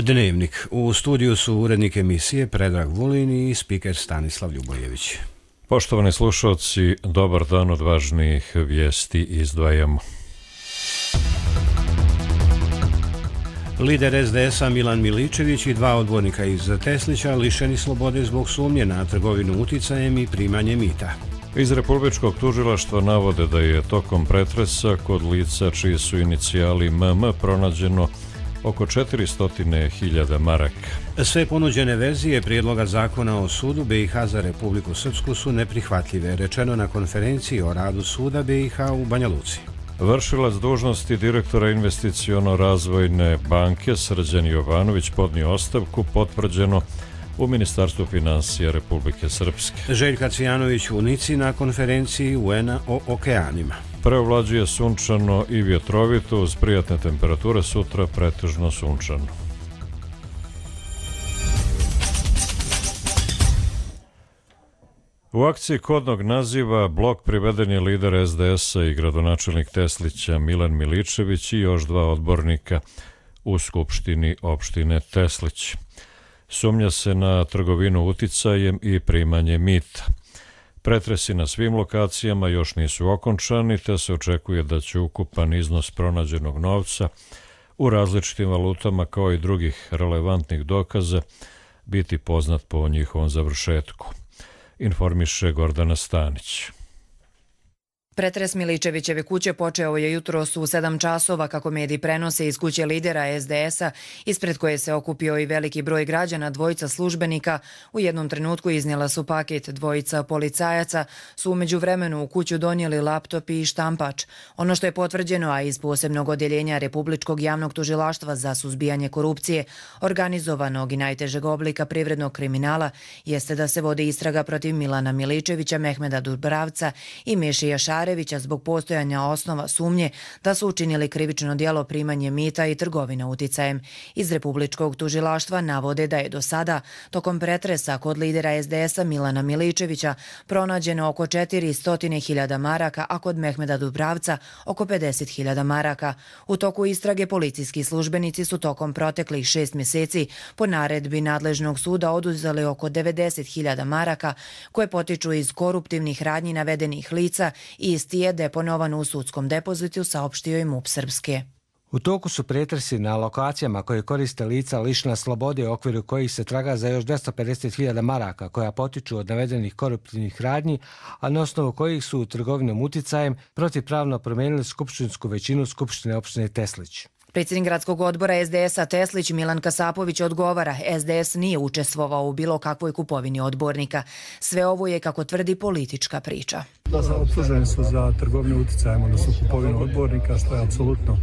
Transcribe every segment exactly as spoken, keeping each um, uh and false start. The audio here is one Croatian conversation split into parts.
Dnevnik. U studiju su urednik emisije Predrag Vulin i spiker Stanislav Ljubojević. Poštovani slušalci, dobar dan, od važnijih vijesti izdvajamo. Lider es de es-a Milan Miličević i dva odbornika iz Teslića lišeni slobode zbog sumnje na trgovinu uticajem i primanje mita. Iz Republičkog tužilaštva navode da je tokom pretresa kod lica čiji su inicijali em em pronađeno oko četiristo hiljada maraka. Sve ponuđene verzije prijedloga zakona o sudu be i ha za Republiku Srpsku su neprihvatljive, rečeno na konferenciji o radu suda be i ha u Banja Luci. Vršilac dužnosti direktora investiciono-razvojne banke Srđan Jovanović podnio ostavku, potvrđeno u Ministarstvu finansija Republike Srpske. Željka Cvijanović u Nici na konferenciji u en a o okeanima. Preovlađuje sunčano i vjetrovito uz prijatne temperature, sutra pretežno sunčano. U akciji kodnog naziva blok priveden je lider es de es-a i gradonačelnik Teslića Milan Miličević i još dva odbornika u Skupštini opštine Teslić. Sumnja se na trgovinu uticajem i primanje mita. Pretresi na svim lokacijama još nisu okončani, te se očekuje da će ukupan iznos pronađenog novca u različitim valutama kao i drugih relevantnih dokaza biti poznat po njihovom završetku, informiše Gordana Stanić. Pretres Miličevićeve kuće počeo je jutros u sedam časova, kako mediji prenose iz kuće lidera es de es-a, ispred koje se okupio i veliki broj građana. Dvojica službenika u jednom trenutku iznijela su paket. Dvojica policajaca su umeđu vremenu u kuću donijeli laptop i štampač. Ono što je potvrđeno, a iz posebnog odjeljenja Republičkog javnog tužilaštva za suzbijanje korupcije, organizovanog i najtežeg oblika privrednog kriminala, jeste da se vodi istraga protiv Milana Miličevića, Mehmeda Dubravca i Mešija Šarevića zbog postojanja osnova sumnje da su učinili krivično djelo primanje mita i trgovina uticajem. Iz Republičkog tužilaštva navode da je do sada, tokom pretresa kod lidera es de es-a Milana Miličevića, pronađeno oko četiristo hiljada maraka, a kod Mehmeda Dubravca oko pedeset hiljada maraka. U toku istrage policijski službenici su tokom proteklih šest mjeseci po naredbi nadležnog suda oduzeli oko devedeset hiljada maraka koje potiču iz koruptivnih radnji navedenih lica i isti je deponovan u sudskom depozitu, saopštio i em u pe Srpske. U toku su pretresi na lokacijama koje koriste lica lišena slobode u okviru kojih se traga za još dvjesto pedeset hiljada maraka koja potiču od navedenih koruptivnih radnji, a na osnovu kojih su trgovinom uticajem protivpravno promijenili skupštinsku većinu Skupštine opštine Teslić. Predsjednik gradskog odbora es de es-a Teslić Milan Kasapović odgovara, es de es nije učestvovao u bilo kakvoj kupovini odbornika. Sve ovo je, kako tvrdi, politička priča. Optuženi su za trgovinu uticajem, odnosno kupovinu odbornika, što je apsolutno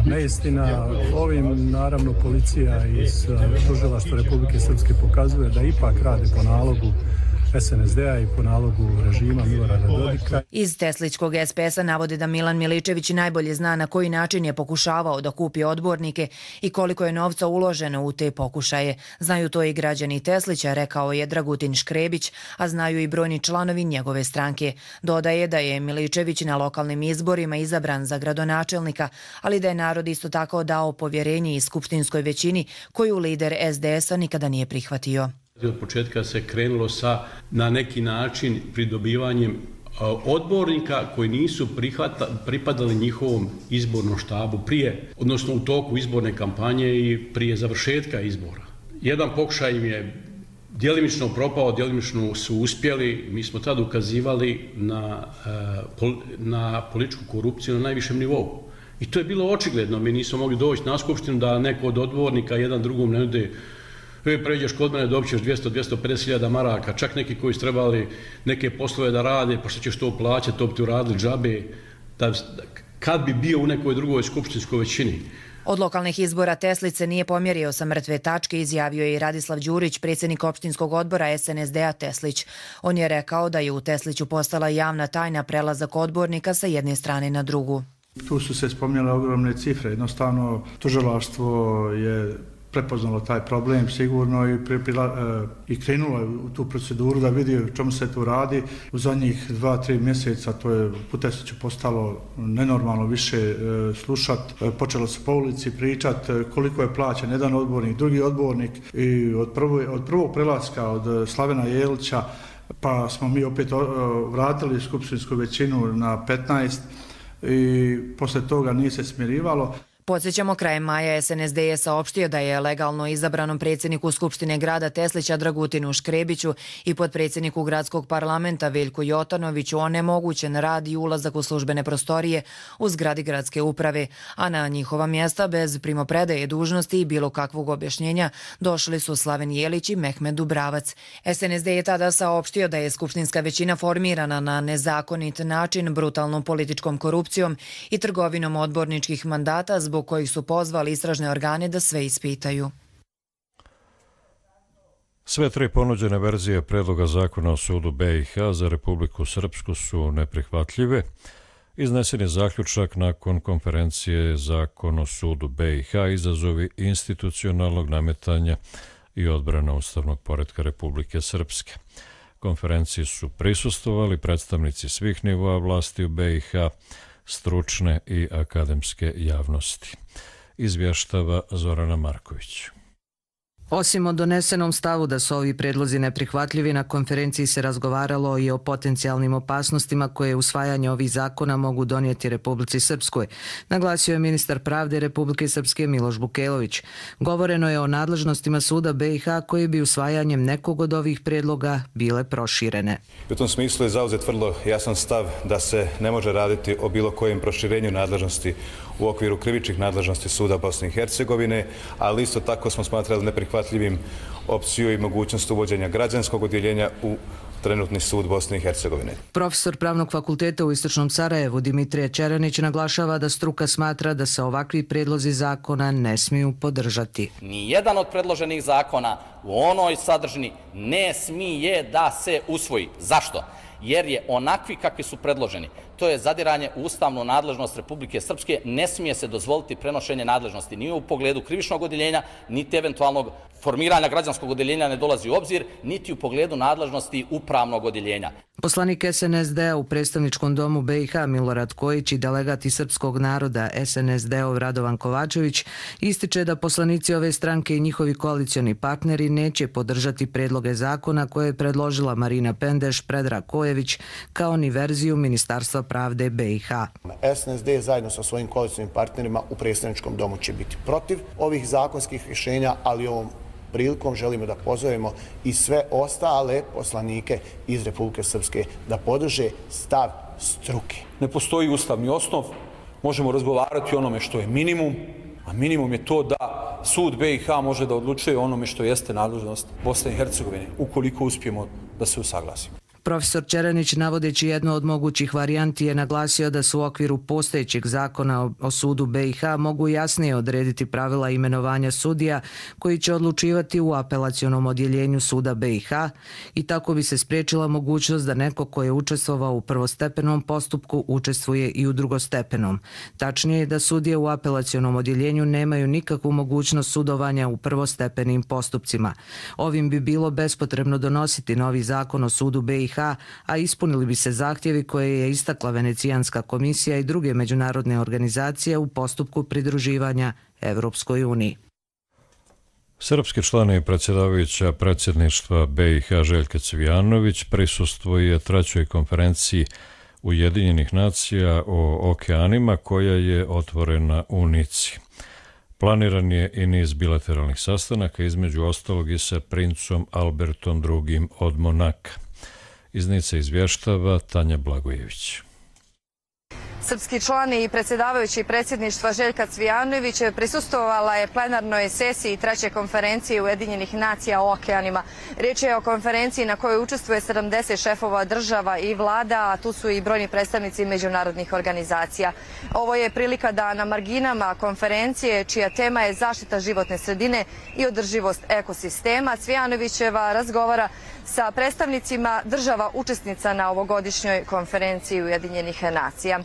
neistina. Ovim, naravno, policija iz tužilaštva Republike Srpske pokazuje da ipak rade po nalogu es en es de-a i po nalogu režima Milorada Dodika. Iz Teslićkog es pe es-a navode da Milan Miličević najbolje zna na koji način je pokušavao da kupi odbornike i koliko je novca uloženo u te pokušaje. Znaju to i građani Teslića, rekao je Dragutin Škrebić, a znaju i brojni članovi njegove stranke. Dodaje da je Miličević na lokalnim izborima izabran za gradonačelnika, ali da je narod isto tako dao povjerenje i skupštinskoj većini koju lider es de es-a nikada nije prihvatio. Od početka se krenulo sa, na neki način, pridobivanjem odbornika koji nisu prihvata, pripadali njihovom izbornom štabu prije, odnosno u toku izborne kampanje i prije završetka izbora. Jedan pokušaj im je djelimično propao, djelimično su uspjeli. Mi smo tada ukazivali na, na političku korupciju na najvišem nivou. I to je bilo očigledno. Mi nismo mogli doći na skupštinu da neko od odbornika jedan drugom ne nude: E, pređeš kod mene, dobit ćeš dvjesto do dvjesto pedeset hiljada maraka, čak neki koji su trebali neke poslove da rade, pa što ćeš to plaćati, to bi ti uradili džabe, da, kad bi bio u nekoj drugoj skupštinskoj većini. Od lokalnih izbora Teslić se nije pomjerio sa mrtve tačke, izjavio je i Radislav Đurić, predsjednik opštinskog odbora es en es de-a Teslić. On je rekao da je u Tesliću postala javna tajna prelazak odbornika sa jedne strane na drugu. Tu su se spominjale ogromne cifre, jednostavno tužilaštvo je prepoznalo taj problem sigurno i, pripila, i krenulo je u tu proceduru da vidi o čemu se tu radi. U zadnjih dva, tri mjeseca to je Putesiću postalo nenormalno više slušat. Počelo se po ulici pričat koliko je plaćen jedan odbornik, drugi odbornik i od, prvo, od prvog prelaska od Slavena Jelića pa smo mi opet vratili skupštinsku većinu na petnaest i posle toga nije se smirivalo. Podsjećamo, krajem maja S N S D je saopštio da je legalno izabranom predsjedniku Skupštine grada Teslića Dragutinu Škrebiću i potpredsjedniku gradskog parlamenta Veljku Jotanoviću onemogućen rad i ulazak u službene prostorije u zgradi gradske uprave, a na njihova mjesta bez primopredaje dužnosti i bilo kakvog objašnjenja došli su Slaven Jelić i Mehmed Dubravac. S N S D je tada saopštio da je skupštinska većina formirana na nezakonit način, brutalnom političkom korupcijom i trgovinom odborničkih mandata, zbog kojih su pozvali istražne organe da sve ispitaju. Sve tri ponuđene verzije predloga zakona o sudu B i H za Republiku Srpsku su neprihvatljive. Iznesen je zaključak nakon konferencije Zakon o sudu B i H izazovi institucionalnog nametanja i odbrana ustavnog poretka Republike Srpske. Konferenciji su prisustvovali predstavnici svih nivoa vlasti u B i H, stručne i akademske javnosti. Izvještava Zorana Marković. Osim o donesenom stavu da su ovi predlozi neprihvatljivi, na konferenciji se razgovaralo i o potencijalnim opasnostima koje usvajanje ovih zakona mogu donijeti Republici Srpskoj, naglasio je ministar pravde Republike Srpske Miloš Bukelović. Govoreno je o nadležnostima suda B i H koji bi usvajanjem nekog od ovih predloga bile proširene. U tom smislu je zauzet vrlo jasan stav da se ne može raditi o bilo kojem proširenju nadležnosti u okviru krivičnih nadležnosti suda Bosne i Hercegovine, ali isto tako smo smatrali neprihvatljivim opciju i mogućnost uvođenja građanskog odjeljenja u trenutni sud Bosne i Hercegovine. Profesor Pravnog fakulteta u Istočnom Sarajevu Dimitrije Čeranić naglašava da struka smatra da se ovakvi predlozi zakona ne smiju podržati. Nijedan od predloženih zakona u onoj sadržini ne smije da se usvoji. Zašto? Jer je onakvi kakvi su predloženi. To je zadiranje u ustavnu nadležnost Republike Srpske. Ne smije se dozvoliti prenošenje nadležnosti ni u pogledu krivičnog odjeljenja, niti eventualnog formiranja građanskog odjeljenja ne dolazi u obzir, niti u pogledu nadležnosti upravnog odjeljenja. Poslanik S N S D-a u predstavničkom domu B i H Milorad Kojić i delegati srpskog naroda S N S D-ov Radovan Kovačević ističe da poslanici ove stranke i njihovi koalicioni partneri neće podržati predloge zakona koje je predložila Marina Pendeš, Predrag Kojević, kao ni verziju Ministarstva pravde B i H. S N S D zajedno sa svojim koalicionim partnerima u predstavničkom domu će biti protiv ovih zakonskih rješenja, ali ovom prilikom želimo da pozovemo i sve ostale poslanike iz Republike Srpske da podrže stav struke. Ne postoji ustavni osnov, možemo razgovarati o onome što je minimum, a minimum je to da sud B i H može da odlučuje o onome što jeste nadležnost Bosne i Hercegovine, ukoliko uspijemo da se usaglasimo. Profesor Čeranić, navodeći jednu od mogućih varijanti, je naglasio da su u okviru postojećeg zakona o sudu B i H mogu jasnije odrediti pravila imenovanja sudija koji će odlučivati u apelacionom odjeljenju suda B i H i tako bi se spriječila mogućnost da neko ko je učestvovao u prvostepenom postupku učestvuje i u drugostepenom. Tačnije je da sudije u apelacionom odjeljenju nemaju nikakvu mogućnost sudovanja u prvostepenim postupcima. Ovim bi bilo bespotrebno donositi novi zakon o sudu B i H, a ispunili bi se zahtjevi koje je istakla Venecijanska komisija i druge međunarodne organizacije u postupku pridruživanja Evropskoj uniji. Srpski član i predsjedavajuća predsjedništva B i H Željka Cvijanović prisustvuje trećoj konferenciji Ujedinjenih nacija o okeanima koja je otvorena u Nici. Planiran je i niz bilateralnih sastanaka, između ostalog i sa princom Albertom drugim od Monaka. Iz Nice izvještava Tanja Blagojević. Srpski član i predsjedavajući predsjedništva Željka Cvijanović prisustvovala je plenarnoj sesiji treće konferencije Ujedinjenih nacija o okeanima. Riječ je o konferenciji na kojoj učestvuje sedamdeset šefova država i vlada, a tu su i brojni predstavnici međunarodnih organizacija. Ovo je prilika da na marginama konferencije, čija tema je zaštita životne sredine i održivost ekosistema, Cvijanovićeva razgovara sa predstavnicima država učesnica na ovogodišnjoj konferenciji Ujedinjenih nacija.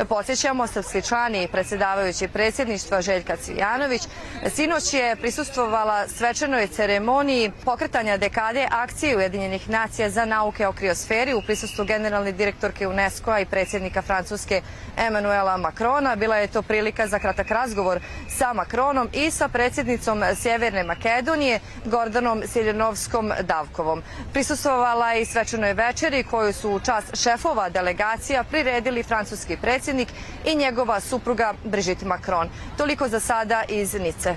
Podsjećamo, srpski član i predsjedavajući predsjedništva Željka Cvijanović sinoć je prisustvovala svečanoj ceremoniji pokretanja dekade akcije Ujedinjenih nacija za nauke o kriosferi u prisustvu generalne direktorke UNESCO-a i predsjednika Francuske Emmanuela Macrona. Bila je to prilika za kratak razgovor sa Macronom i sa predsjednicom Sjeverne Makedonije Gordanom Siljanovskom-Davkovom. Prisustvovala je i svečanoj večeri koju su u čast šefova delegacija priredili francuski predsjednik i njegova supruga Brigitte Macron. Toliko za sada iz Nice.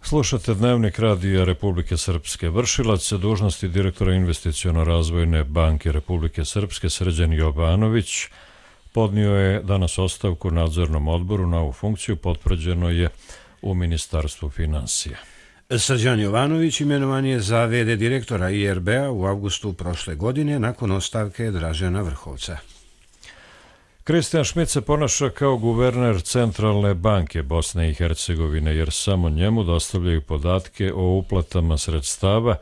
Slušate Dnevnik Radija Republike Srpske. Vršilac dužnosti direktora Investiciono-razvojne banke Republike Srpske Srđan Jovanović podnio je danas ostavku u nadzornom odboru. Na ovu funkciju potvrđeno je u Ministarstvu finansija. Srđan Jovanović imenovan je za v d direktora I R B-a u avgustu prošle godine nakon ostavke Dražena Vrhovca. Kristijan Šmit se ponaša kao guverner Centralne banke Bosne i Hercegovine, jer samo njemu dostavljaju podatke o uplatama sredstava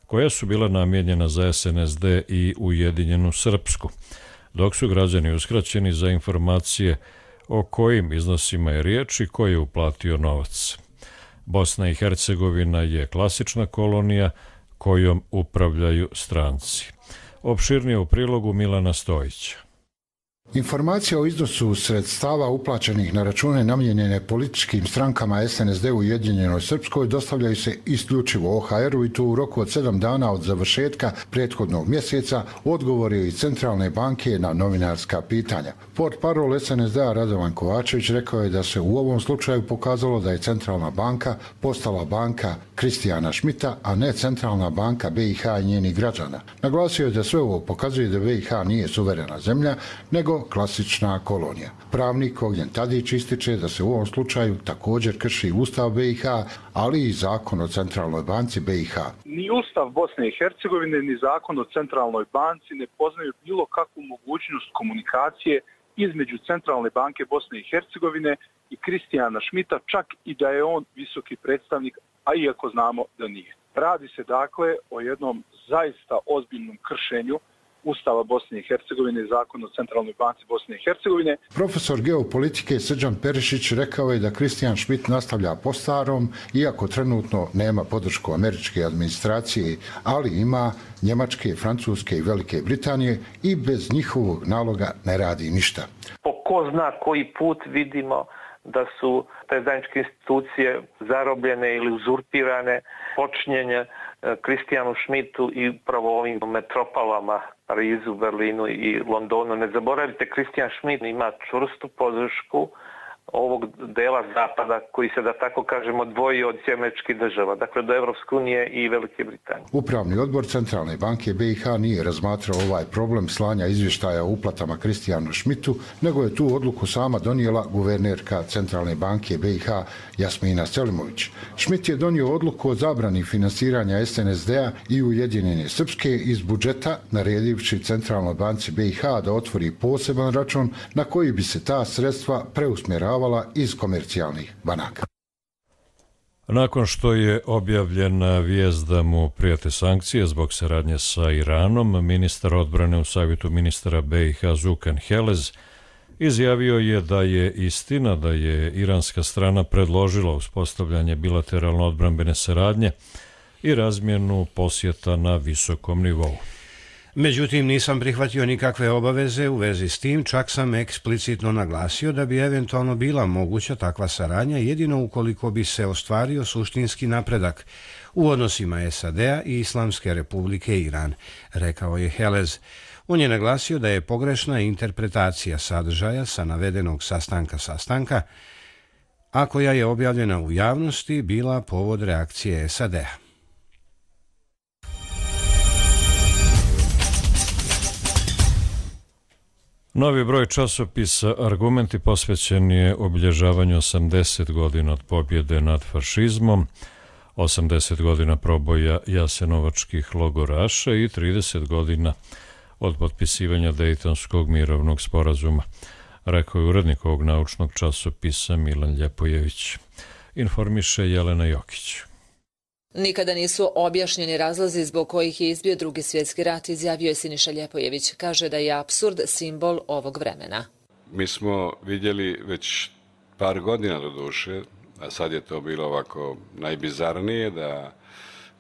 koja su bila namijenjena za S N S D i Ujedinjenu Srpsku, dok su građani uskraćeni za informacije o kojim iznosima je riječ i ko je uplatio novac. Bosna i Hercegovina je klasična kolonija kojom upravljaju stranci. Opširnije u prilogu Milana Stojića. Informacija o iznosu sredstava uplaćenih na račune namijenjene političkim strankama S N S D u Ujedinjenoj Srpskoj dostavljaju se isključivo O H R-u i to u roku od sedam dana od završetka prethodnog mjeseca, odgovori iz Centralne banke na novinarska pitanja. Portparol S N S D-a Radovan Kovačević rekao je da se u ovom slučaju pokazalo da je Centralna banka postala banka Kristijana Šmita, a ne Centralna banka B i H i njenih građana. Naglasio je da sve ovo pokazuje da B i H nije suverena zemlja, nego klasična kolonija. Pravnik Ognjen Tadić ističe da se u ovom slučaju također krši Ustav B i H, ali i Zakon o Centralnoj banci B i H. Ni Ustav Bosne i Hercegovine, ni Zakon o Centralnoj banci ne poznaju bilo kakvu mogućnost komunikacije između Centralne banke Bosne i Hercegovine i Kristijana Šmita, čak i da je on visoki predstavnik, a iako znamo da nije. Radi se dakle o jednom zaista ozbiljnom kršenju Ustava Bosne i Hercegovine i Zakon o Centralnoj banci Bosne i Hercegovine. Profesor geopolitike Srđan Perišić rekao je da Kristijan Šmit nastavlja po starom, iako trenutno nema podršku američke administracije, ali ima Njemačke, Francuske i Velike Britanije i bez njihovog naloga ne radi ništa. Po ko zna koji put vidimo da su te zajedničke institucije zarobljene ili uzurpirane, počinjenje Kristijanu Šmitu i upravo ovim metropolama Parizu, Berlinu i Londonu. Ne zaboravite, Kristijan Šmit ima čvrstu podršku ovog dela zapada koji se, da tako kažemo, odvoji od američkih država, dakle do Evropske unije i Velike Britanije. Upravni odbor Centralne banke B i H nije razmatrao ovaj problem slanja izvještaja o uplatama Kristijanu Šmitu, nego je tu odluku sama donijela guvernerka Centralne banke B i H Jasmina Selimović. Šmit je donio odluku o zabrani finansiranja S N S D-a i Ujedinjene Srpske iz budžeta, naredivši Centralnoj banci B i H da otvori poseban račun na koji bi se ta sredstva preusmjeravala iz komercijalnih banaka. Nakon što je objavljena vijest da mu prijete sankcije zbog saradnje sa Iranom, ministar odbrane u savjetu ministara B i H Zukan Helez izjavio je da je istina da je iranska strana predložila uspostavljanje bilateralno odbrambene saradnje i razmjenu posjeta na visokom nivou. Međutim, nisam prihvatio nikakve obaveze u vezi s tim, čak sam eksplicitno naglasio da bi eventualno bila moguća takva saradnja jedino ukoliko bi se ostvario suštinski napredak u odnosima S A D-a i Islamske republike Iran, rekao je Helez. On je naglasio da je pogrešna interpretacija sadržaja sa navedenog sastanka sastanka, a koja je objavljena u javnosti, bila povod reakcije S A D-a. Novi broj časopisa Argumenti posvećen je obilježavanju osamdeset godina od pobjede nad fašizmom, osamdeset godina proboja jasenovačkih logoraša i trideset godina od potpisivanja Dejtonskog mirovnog sporazuma, rekao je urednik ovog naučnog časopisa Milan Ljepojević. Informiše Jelena Jokić. Nikada nisu objašnjeni razlozi zbog kojih je izbio drugi svjetski rat, izjavio je Siniša Ljepojević. Kaže da je apsurd simbol ovog vremena. Mi smo vidjeli već par godina do duše, a sad je to bilo ovako najbizarnije, da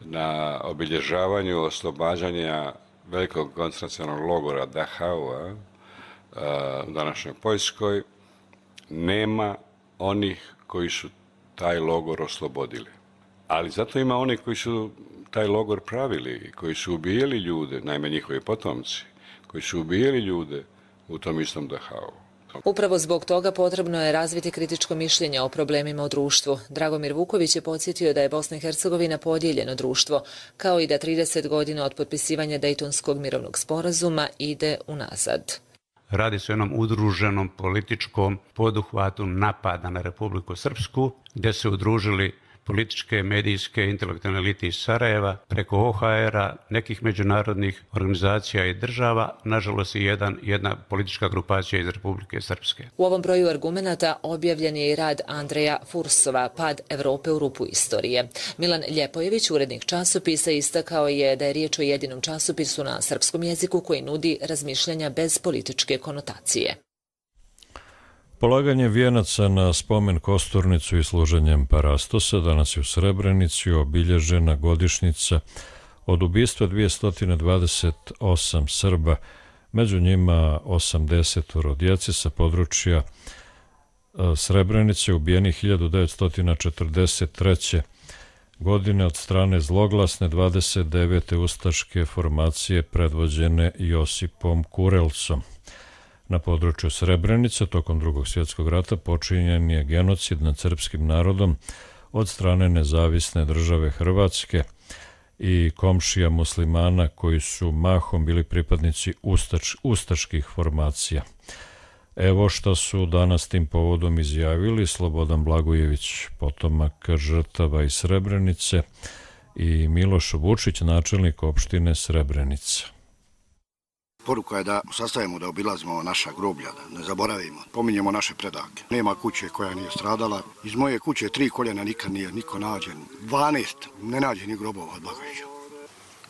na obilježavanju oslobađanja velikog koncentracionog logora Dachau u današnjoj Poljskoj nema onih koji su taj logor oslobodili. Ali zato ima oni koji su taj logor pravili, koji su ubijali ljude, najme njihovi potomci, koji su ubijali ljude u tom istom Dachau. Upravo zbog toga potrebno je razviti kritičko mišljenje o problemima u društvu. Dragomir Vuković je podsjetio da je Bosna i Hercegovina podijeljeno društvo, kao i da trideset godina od potpisivanja Dejtonskog mirovnog sporazuma ide unazad. Radi se o jednom udruženom političkom poduhvatu napada na Republiku Srpsku, gdje se udružili političke, medijske, intelektualne elite iz Sarajeva, preko O H R-a, nekih međunarodnih organizacija i država, nažalost i jedan, jedna politička grupacija iz Republike Srpske. U ovom broju argumenata objavljen je i rad Andreja Fursova, Pad Evrope u rupu istorije. Milan Ljepojević, urednik časopisa, istakao je da je riječ o jedinom časopisu na srpskom jeziku koji nudi razmišljanja bez političke konotacije. Polaganje vijenaca na spomen Kosturnicu i služenjem parastosa danas je u Srebrenici obilježena godišnjica od ubistva dvjesto dvadeset osam Srba, među njima osamdeset djece sa područja Srebrenice ubijenih hiljadu devetsto četrdeset treće. godine od strane zloglasne dvadeset devete ustaške formacije predvođene Josipom Kurelcom. Na području Srebrenice tokom Drugog svjetskog rata počinjen je genocid nad srpskim narodom od strane nezavisne države Hrvatske i komšija muslimana koji su mahom bili pripadnici ustač, ustaških formacija. Evo što su danas tim povodom izjavili Slobodan Blagojević, potomak žrtava iz Srebrenice, i Miloš Vučić, načelnik opštine Srebrenica. Poruka je da sastavimo, da obilazimo naša groblja, da ne zaboravimo, pominjemo naše predake. Nema kuće koja nije stradala. Iz moje kuće tri koljena nikad nije niko nađen. dvanaest ne nađe ni grobova od Blagojevića.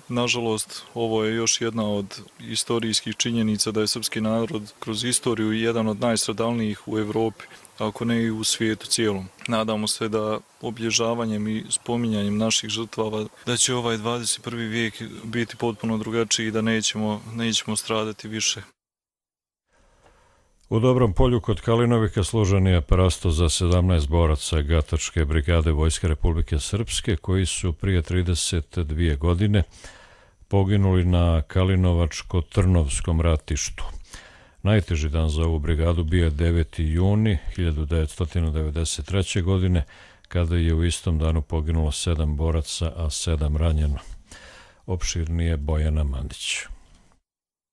Nažalost, ovo je još jedna od istorijskih činjenica da je srpski narod kroz istoriju jedan od najstradalnijih u Evropi, ako ne i u svijetu cijelom. Nadamo se da obilježavanjem i spominjanjem naših žrtava da će ovaj dvadeset prvi vijek biti potpuno drugačiji i da nećemo, nećemo stradati više. U Dobrom Polju kod Kalinovika služen je parastos za sedamnaest boraca Gatačke brigade Vojske Republike Srpske koji su prije trideset dvije godine poginuli na Kalinovačko-Trnovskom ratištu. Najteži dan za ovu brigadu bio je deveti juni hiljadu devetsto devedeset treće. godine, kada je u istom danu poginulo sedam boraca, a sedam ranjeno. Opširnije Bojana Mandić.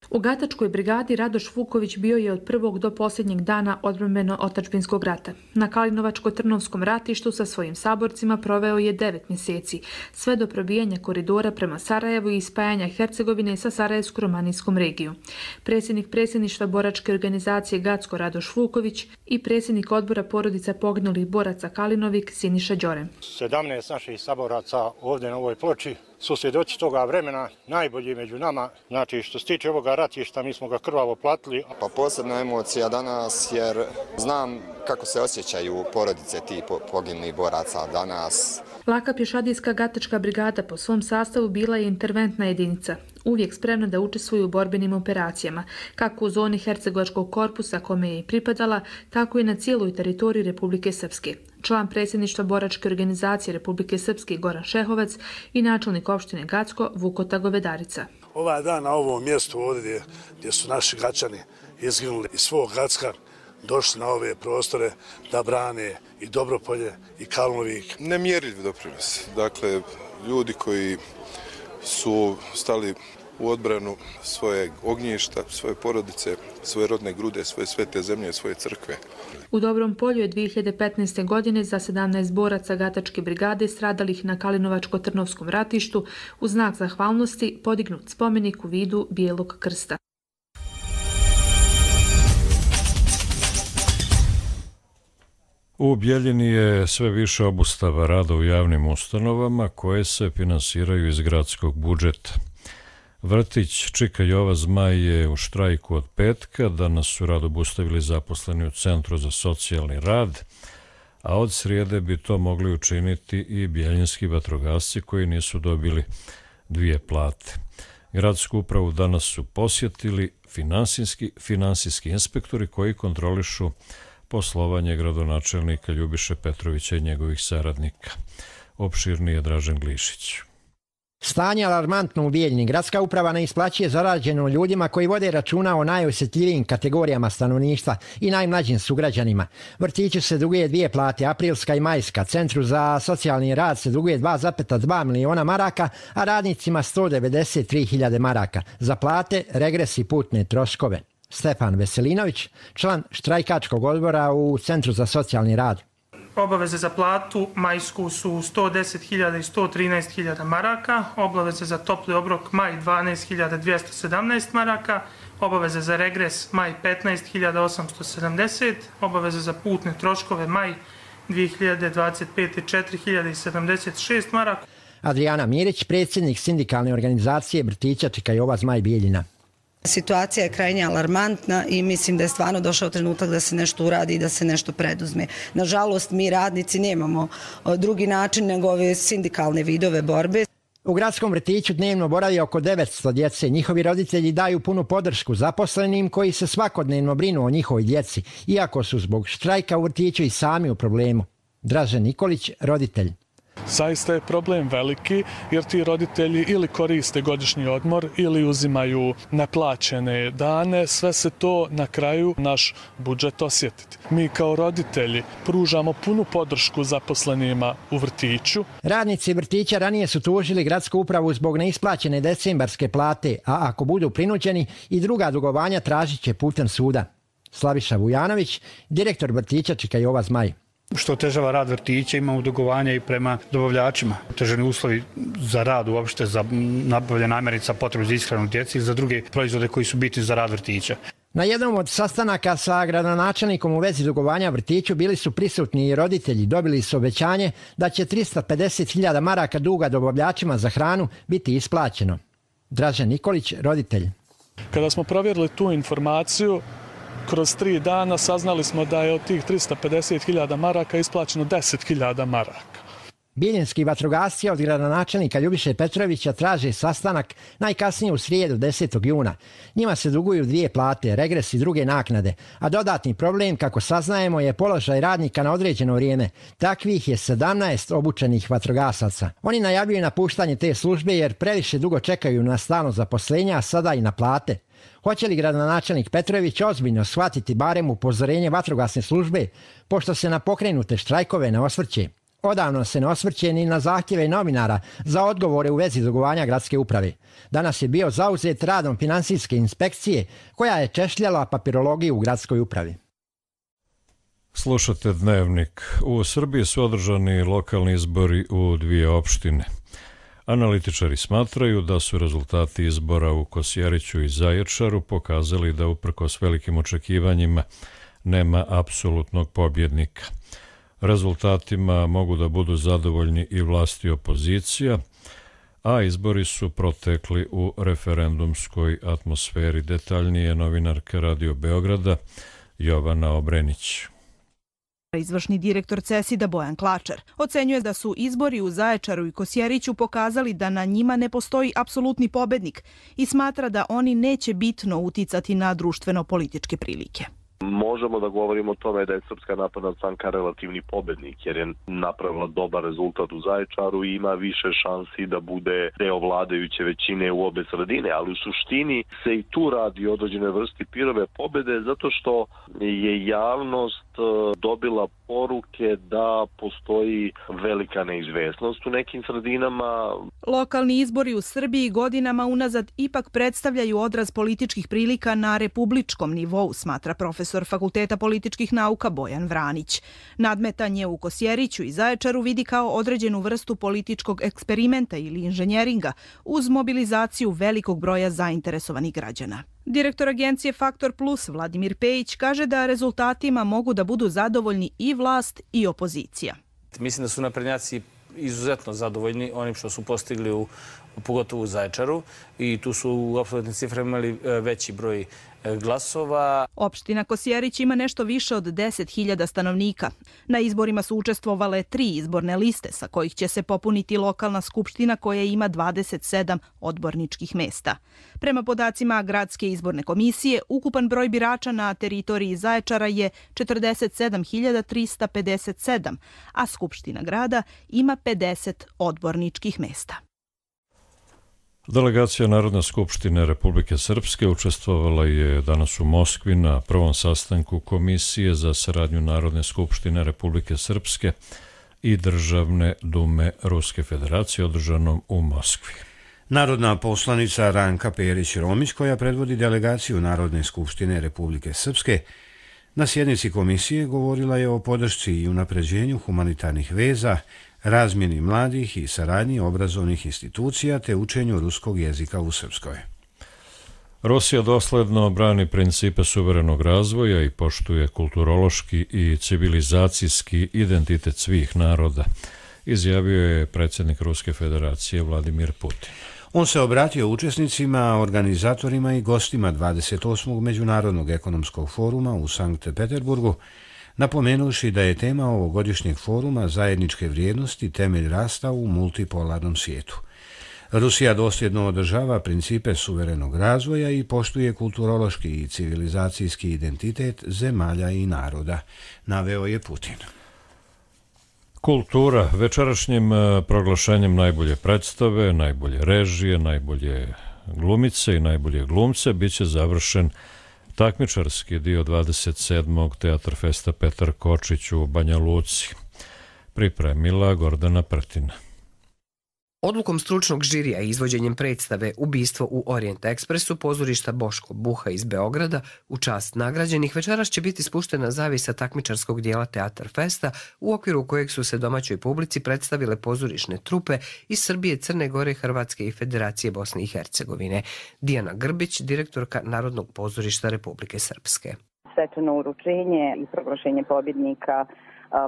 U Gatačkoj brigadi Radoš Vuković bio je od prvog do posljednjeg dana odbrambeno-otadžbinskog rata. Na Kalinovačko-Trnovskom ratištu sa svojim saborcima proveo je devet mjeseci, sve do probijanja koridora prema Sarajevu i spajanja Hercegovine sa Sarajevsko-romanijskom regijom. Predsjednik predsjedništva boračke organizacije Gacko Radoš Vuković i predsjednik odbora porodica poginulih boraca Kalinovik Siniša Đorem. sedamnaest naših saboraca ovdje na ovoj ploči su svjedoci toga vremena, najbolji među nama. Znači, što se tiče ovoga ratišta, mi smo ga krvavo platili. Pa posebna emocija danas, jer znam kako se osjećaju porodice tih poginulih boraca danas. Laka pješadijska Gatačka brigada po svom sastavu bila je interventna jedinica, uvijek spremna da učestvuje u borbenim operacijama, kako u zoni Hercegovačkog korpusa kome je i pripadala, tako i na cijeloj teritoriji Republike Srpske. Član predsjedništva boračke organizacije Republike Srpske Goran Šehovac i načelnik opštine Gacko Vukota Govedarica. Ovaj dan na ovom mjestu ovdje gdje su naši Gačani izginuli iz svog Gacka, došli na ove prostore da brane i Dobropolje i Kalinovik. Nemjerljiv doprinos. Dakle, ljudi koji su stali u odbranu svoje ognjišta, svoje porodice, svoje rodne grude, svoje svete zemlje, svoje crkve. U Dobrom Polju je dvije hiljade petnaeste. godine za sedamnaest boraca Gatačke brigade stradalih na Kalinovačko-Trnovskom ratištu u znak zahvalnosti podignut spomenik u vidu Bijelog krsta. U Bjeljini je sve više obustava rada u javnim ustanovama koje se finansiraju iz gradskog budžeta. Vrtić Čika Jova Zmaj je u štrajku od petka, danas su rad obustavili zaposleni u Centru za socijalni rad, a od srijede bi to mogli učiniti i bjeljinski vatrogasci koji nisu dobili dvije plate. Gradsku upravu danas su posjetili finansijski, finansijski inspektori koji kontrolišu poslovanje gradonačelnika Ljubiše Petrovića i njegovih saradnika. Opširniji je Dražen Glišić. Stanje alarmantno u Bijeljini. Gradska uprava ne isplaćuje zarađeno ljudima koji vode računa o najosjetljivijim kategorijama stanovništva i najmlađim sugrađanima. Vrtiću se duguje dvije plate, aprilska i majska. Centru za socijalni rad se duguje dva zarez dva miliona maraka, a radnicima sto devedeset tri hiljade maraka. Za plate, regres i putne troškove. Stefan Veselinović, član štrajkačkog odbora u Centru za socijalni rad. Obaveze za platu majsku su sto deset hiljada i sto trinaest hiljada maraka, obaveze za topli obrok maj dvanaest hiljada dvjesto sedamnaest maraka, obaveze za regres maj petnaest hiljada osamsto sedamdeset, obaveze za putne troškove maj dvije hiljade dvadeset pete četiri hiljade sedamdeset šest maraka. Adriana Mirić, predsjednik sindikalne organizacije vrtića Čika Jova Zmaj Bijeljina. Situacija je krajnje alarmantna i mislim da je stvarno došao trenutak da se nešto uradi i da se nešto preduzme. Nažalost, mi radnici nemamo drugi način nego ove sindikalne vidove borbe. U gradskom vrtiću dnevno boravi oko devetsto djece. Njihovi roditelji daju punu podršku zaposlenim koji se svakodnevno brinu o njihovoj djeci, iako su zbog štrajka u vrtiću i sami u problemu. Dražen Nikolić, roditelj. Zaista je problem veliki jer ti roditelji ili koriste godišnji odmor ili uzimaju neplaćene dane, sve se to na kraju naš budžet osjetiti. Mi kao roditelji pružamo punu podršku zaposlenima u vrtiću. Radnici vrtića ranije su tužili gradsku upravu zbog neisplaćene decembarske plate, a ako budu prinuđeni i druga dugovanja tražit će putem suda. Slaviša Vujanović, direktor vrtića Čika Jova Zmaj. Što otežava rad vrtića, imamo dugovanja i prema dobavljačima. Otežani uslovi za rad uopšte, za nabavljanje namirnica, potrebu za ishranu djece i za druge proizvode koji su bitni za rad vrtića. Na jednom od sastanaka sa gradonačelnikom u vezi dugovanja vrtiću bili su prisutni i roditelji. Dobili su obećanje da će trista pedeset hiljada maraka duga dobavljačima za hranu biti isplaćeno. Dražen Nikolić, roditelj. Kada smo provjerili tu informaciju, kroz tri dana saznali smo da je od tih trista pedeset hiljada maraka isplaćeno deset hiljada maraka. Bijeljinski vatrogasci od gradonačelnika Ljubiše Petrovića traže sastanak najkasnije u srijedu desetog juna. Njima se duguju dvije plate, regres i druge naknade, a dodatni problem, kako saznajemo, je položaj radnika na određeno vrijeme. Takvih je sedamnaest obučenih vatrogasaca. Oni najavljuju napuštanje te službe jer previše dugo čekaju na stalno zaposlenje, a sada i na plate. Hoće li gradonačelnik Petrović ozbiljno shvatiti barem upozorenje vatrogasne službe, pošto se na pokrenute štrajkove ne osvrće? Odavno se ne osvrće ni na zahtjeve novinara za odgovore u vezi dugovanja gradske uprave. Danas je bio zauzet radom finansijske inspekcije koja je češljala papirologiju u gradskoj upravi. Slušate Dnevnik. U Srbiji su održani lokalni izbori u dvije opštine. Analitičari smatraju da su rezultati izbora u Kosjeriću i Zaječaru pokazali da uprkos velikim očekivanjima nema apsolutnog pobjednika. Rezultatima mogu da budu zadovoljni i vlast i opozicija, a izbori su protekli u referendumskoj atmosferi. Detaljnije novinarka Radio Beograda Jovana Obrenić. Izvršni direktor CESID-a Bojan Klačar ocenjuje da su izbori u Zaječaru i Kosjeriću pokazali da na njima ne postoji apsolutni pobednik i smatra da oni neće bitno uticati na društveno-političke prilike. Možemo da govorimo o tome da je Srpska napredna stranka relativni pobednik jer je napravila dobar rezultat u Zaječaru i ima više šansi da bude deo vladajuće većine u obe sredine, ali u suštini se i tu radi o određenoj vrsti pirove pobede zato što je javnost dobila poruke da postoji velika neizvesnost u nekim sredinama. Lokalni izbori u Srbiji godinama unazad ipak predstavljaju odraz političkih prilika na republičkom nivou, smatra profesor Fakulteta političkih nauka Bojan Vranić. Nadmetanje u Kosjeriću i Zaječaru vidi kao određenu vrstu političkog eksperimenta ili inženjeringa uz mobilizaciju velikog broja zainteresovanih građana. Direktor agencije Faktor Plus Vladimir Pejić kaže da rezultatima mogu da budu zadovoljni i vlast i opozicija. Mislim da su naprednjaci izuzetno zadovoljni onim što su postigli u, pogotovo u Zaječaru, i tu su u apsolutnim ciframa imali veći broj glasova. Opština Kosjerić ima nešto više od deset hiljada stanovnika. Na izborima su učestvovale tri izborne liste sa kojih će se popuniti lokalna skupština koja ima dvadeset sedam odborničkih mesta. Prema podacima Gradske izborne komisije, ukupan broj birača na teritoriji Zaječara je četrdeset sedam hiljada trista pedeset sedam, a skupština grada ima pedeset odborničkih mesta. Delegacija Narodne skupštine Republike Srpske učestvovala je danas u Moskvi na prvom sastanku Komisije za saradnju Narodne skupštine Republike Srpske i Državne dume Ruske federacije održanom u Moskvi. Narodna poslanica Ranka Perić-Romić, koja predvodi delegaciju Narodne skupštine Republike Srpske, na sjednici komisije govorila je o podršci i unapređenju humanitarnih veza, razmjeni mladih i saradnji obrazovnih institucija te učenju ruskog jezika u Srpskoj. Rusija dosledno brani principe suverenog razvoja i poštuje kulturološki i civilizacijski identitet svih naroda, izjavio je predsjednik Ruske federacije Vladimir Putin. On se obratio učesnicima, organizatorima i gostima dvadeset osmog Međunarodnog ekonomskog foruma u Sankt Peterburgu, napomenuši da je tema ovogodišnjeg foruma zajedničke vrijednosti temelj rasta u multipolarnom svijetu. Rusija dosljedno održava principe suverenog razvoja i poštuje kulturološki i civilizacijski identitet zemalja i naroda, naveo je Putin. Kultura. Večerašnjim proglašenjem najbolje predstave, najbolje režije, najbolje glumice i najbolje glumce biće završen takmičarski dio dvadeset sedmog Teatr Festa Petar Kočić u Banja Luci. Pripremila Gordana Prtina. Odlukom stručnog žirija i izvođenjem predstave Ubistvo u Orient Ekspresu pozorišta Boško Buha iz Beograda u čast nagrađenih večeras će biti spuštena zavisa takmičarskog dijela Teatar Festa, u okviru kojeg su se domaćoj publici predstavile pozorišne trupe iz Srbije, Crne Gore, Hrvatske i Federacije Bosne i Hercegovine. Dijana Grbić, direktorka Narodnog pozorišta Republike Srpske. Svečano uručenje i proglašenje pobjednika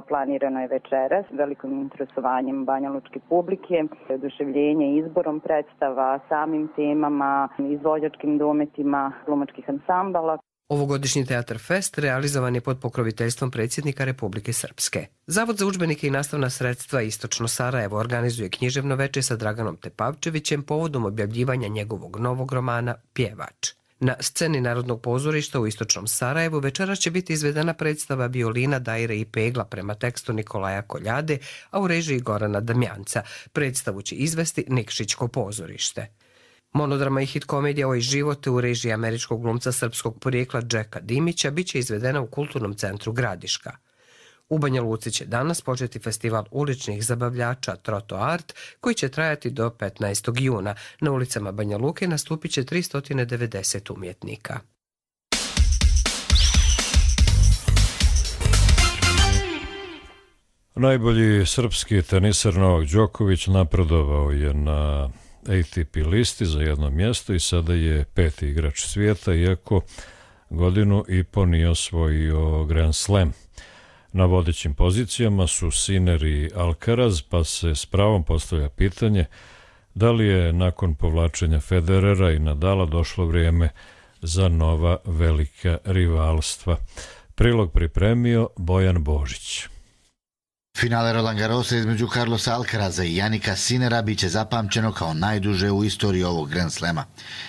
planirano je večeras velikim interesovanjem banjalučke publike, oduševljenje izborom predstava, samim temama, izvođačkim dometima glumačkih ansambala. Ovogodišnji Teatar Fest realizovan je pod pokroviteljstvom predsjednika Republike Srpske. Zavod za udžbenike i nastavna sredstva Istočno Sarajevo organizuje književno veče sa Draganom Tepavčevićem povodom objavljivanja njegovog novog romana Pjevač. Na sceni Narodnog pozorišta u Istočnom Sarajevu večeras će biti izvedena predstava Violina, Dajre i Pegla prema tekstu Nikolaja Koljade, a u režiji Gorana Damjanca. Predstavu će izvesti Nikšićko pozorište. Monodrama i hit komedija Oj živote u režiji američkog glumca srpskog porijekla Džeka Dimića biće izvedena u Kulturnom centru Gradiška. U Banja Luci će danas početi festival uličnih zabavljača Troto Art, koji će trajati do petnaestog juna. Na ulicama Banja Luke nastupit će tristo devedeset umjetnika. Najbolji srpski teniser Novak Đoković napredovao je na A T P listi za jedno mjesto i sada je peti igrač svijeta, iako godinu i po nije osvojio Grand Slam. Na vodećim pozicijama su Sinner i Alcaraz, pa se s pravom postavlja pitanje da li je nakon povlačenja Federera i Nadala došlo vrijeme za nova velika rivalstva. Prilog pripremio Bojan Božić. Finale Roland Garrosa između Carlosa Alcaraza i Janika Sinnera biće zapamćeno kao najduže u istoriji ovog Grand Slema.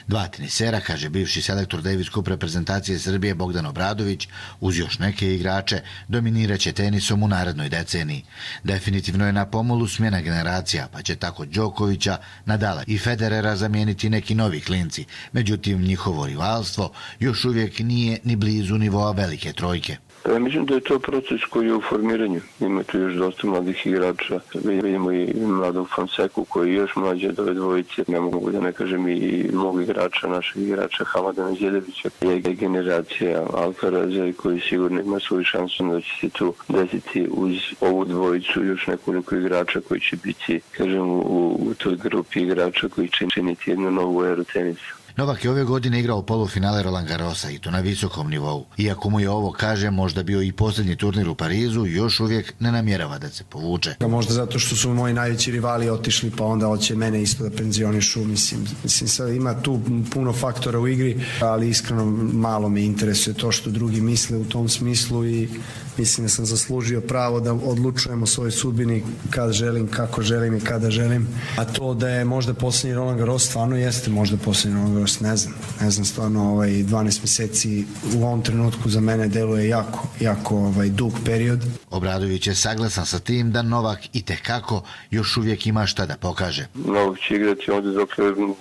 Dva tenisera, kaže bivši selektor Davis Cup reprezentacije Srbije Bogdan Obradović, uz još neke igrače, dominiraće tenisom u narednoj deceniji. Definitivno je na pomolu smjena generacija, pa će tako Đokovića, Nadala i Federera zamijeniti neki novi klinci. Međutim, njihovo rivalstvo još uvijek nije ni blizu nivoa velike trojke. Ja mislim da je to proces koji je u formiranju. Ima tu još dosta mladih igrača. Vidimo i mladog Fonseku koji je još mlađe od ove dvojice. Ne mogu da ne kažem i mog igrača, našeg igrača Hamada Neđedovića. Je generacija Alcaraza koji sigurno ima svoju šansu da će se tu desiti uz ovu dvojicu još nekoliko igrača koji će biti, kažem, u, u toj grupi igrača koji će činiti jednu novu eru tenisa. Novak je ove godine igrao polufinale Roland Garrosa i to na visokom nivou. Iako mu je ovo, kaže, možda bio i posljednji turnir u Parizu, još uvijek ne namjerava da se povuče. Možda zato što su moji najveći rivali otišli, pa onda hoće mene isto da penzionišu. Mislim, mislim sad ima tu puno faktora u igri, ali iskreno malo me interesuje to što drugi misle u tom smislu i mislim da sam zaslužio pravo da odlučujem o svojoj sudbini kad želim, kako želim i kada želim. A to da je možda posljednji Roland Garros, stvarno jeste možda posljednji Roland Garros, ne znam. Ne znam, stvarno ovaj, dvanaest mjeseci u ovom trenutku za mene deluje jako, jako ovaj, dug period. Obradović je saglasan sa tim da Novak itekako još uvijek ima šta da pokaže. Novak će igrati ovdje dok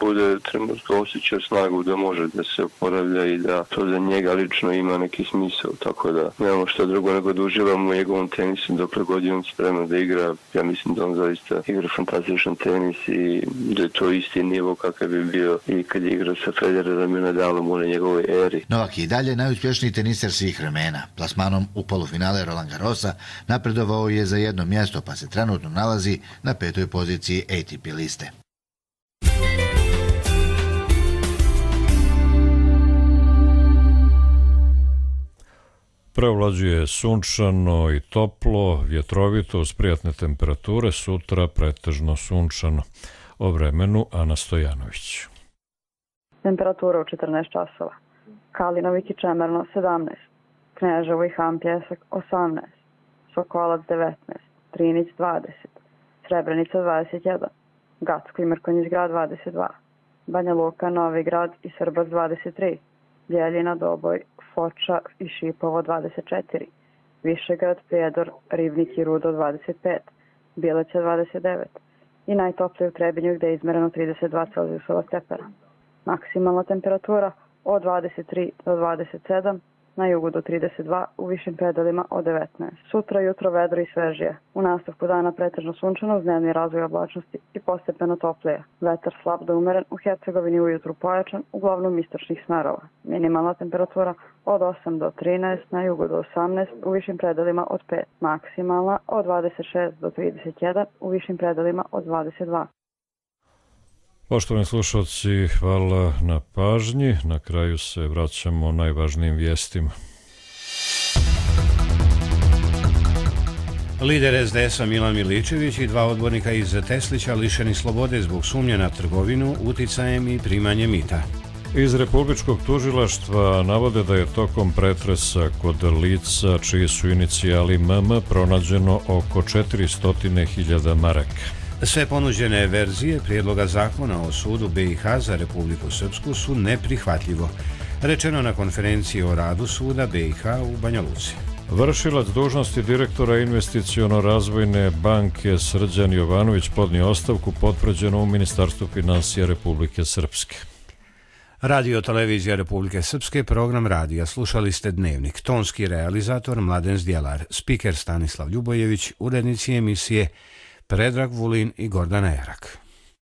bude trenutno osjećao snagu da može da se oporavlja i da to za njega lično ima neki smisao, tako da nemamo što drugo nego da uživamo u njegovom tenisu dokle god je on spreman da igra. Ja mislim da on zaista igra fantastičan tenis i da je to isti nivo kakav bi bio i kad je igrao sa Federerom i Nadalom u njegovoj eri. Novak je i dalje najuspješniji teniser svih vremena. Plasmanom u polufinale Roland Garrosa napredovao je za jedno mjesto, pa se trenutno nalazi na petoj poziciji A T P liste. Preovlađuje sunčano i toplo, vjetrovito uz prijatne temperature, sutra pretežno sunčano. O vremenu Ana Stojanović. Temperatura u četrnaest časova. Kalinovik i Čemerno sedamnaest, Kneževo i Han Pjesak osamnaest, Sokolac devetnaest, Trinić dvadeset, Srebrenica dvadeset jedan, Gacko i Mrkonjić grad dvadeset dva, Banja Luka, Novi grad i Srbac dvadeset tri, Bjeljina, Doboj, Foča i Šipovo dvadeset četiri, Višegrad, Prijedor, Ribnik i Rudo dvadeset pet, Bileća dvadeset devet i najtoplije u Trebinju gdje je izmereno trideset dva Celzijusova stepena. Maksimalna temperatura od dvadeset tri do dvadeset sedam, na jugu do trideset dva, u višim predelima od devetnaest. Sutra jutro vedro i svežije. U nastavku dana pretežno sunčano uz dnevni razvoj oblačnosti i postepeno toplije. Vetar slab do umeren, u Hercegovini ujutru pojačan, uglavnom istočnih smerova. Minimalna temperatura od osam do trinaest, na jugu do osamnaest, u višim predelima od pet. Maksimalna od dvadeset šest do trideset jedan, u višim predelima od dvadeset dva. Poštovani slušalci, hvala na pažnji. Na kraju se vraćamo najvažnijim vijestima. Lider S D S-a Milan Miličević i dva odbornika iz Teslića lišeni slobode zbog sumnje na trgovinu, uticajem i primanje mita. Iz Republičkog tužilaštva navode da je tokom pretresa kod lica čiji su inicijali M M pronađeno oko četiristo hiljada maraka. Sve ponuđene verzije prijedloga zakona o sudu B i H za Republiku Srpsku su neprihvatljivo, rečeno na konferenciji o radu suda B i H u Banja Luci. Vršilac dužnosti direktora investiciono-razvojne banke Srđan Jovanović podnio ostavku potvrđeno u Ministarstvu finansija Republike Srpske. Radio televizija Republike Srpske, program radija. Slušali ste Dnevnik. Tonski realizator Mladen Zdjelar, spiker Stanislav Ljubojević, urednici emisije Predrag Vulin i Gordana Erak.